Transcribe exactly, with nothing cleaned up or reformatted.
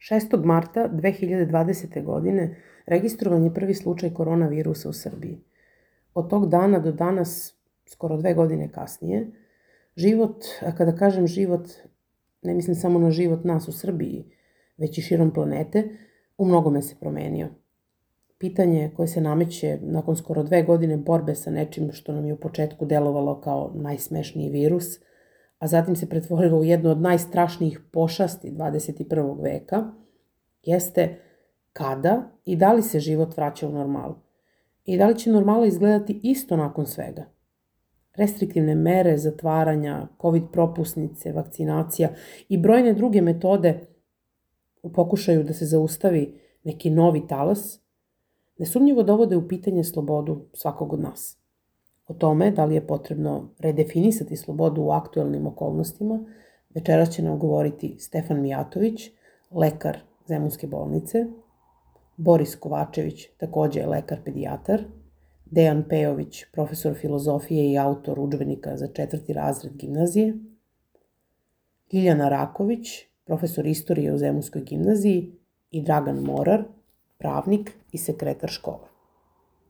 šestog marta dve hiljade dvadesete. godine registrovan je prvi slučaj koronavirusa u Srbiji. Od tog dana do danas, skoro dve godine kasnije, život, a kada kažem život, ne mislim samo na život nas u Srbiji, već i širom planete, u mnogome se promenio. Pitanje koje se nameće nakon skoro dve godine borbe sa nečim što nam je u početku delovalo kao najsmešniji virus, a zatim se pretvorilo u jednu od najstrašnijih pošasti dvadeset i prvog veka, jeste kada i da li se život vraća u normalu i da li će normala izgledati isto nakon svega. Restriktivne mere zatvaranja, covid propusnice, vakcinacija i brojne druge metode u pokušaju da se zaustavi neki novi talas, nesumnjivo dovode u pitanje slobodu svakog od nas. O tome da li je potrebno redefinisati slobodu u aktuelnim okolnostima, večeras će nam govoriti Stefan Mijatović, lekar Zemunske bolnice, Boris Kovačević, takođe lekar pedijatar, Dejan Pejović, profesor filozofije i autor udžbenika za četvrti razred gimnazije, Ljiljana Raković, profesor istorije u Zemunskoj gimnaziji i Dragan Morar, pravnik i sekretar škole.